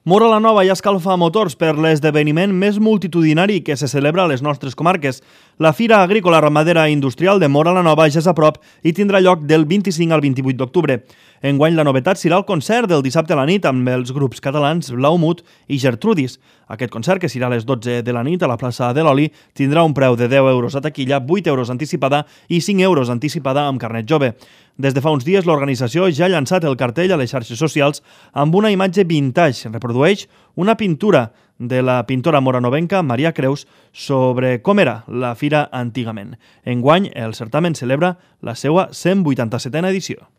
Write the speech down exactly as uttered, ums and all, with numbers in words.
Móra la Nova i escalfa motors per l'esdeveniment més multitudinari que se celebra a les nostres comarques. La Fira Agrícola Ramadera Industrial de Móra la Nova ja és a prop i tindrà lloc del vint-i-cinc al vint-i-vuit d'octubre. Enguany la novetat serà el concert del dissabte a la nit amb els grups catalans Blaumut i Gertrudis. Aquest concert, que serà a les dotze de la nit a la plaça de l'Oli, tindrà un preu de deu euros a taquilla, vuit euros anticipada i cinc euros anticipada amb carnet jove. Des de fa uns dies l'organització ja ha llançat el cartell a les xarxes socials amb una imatge vintage. Reprodueix una pintura de la pintora moranovenca Maria Creus sobre com era la fira antigament. Enguany, el certamen celebra la seva cent vuitanta-setena edició.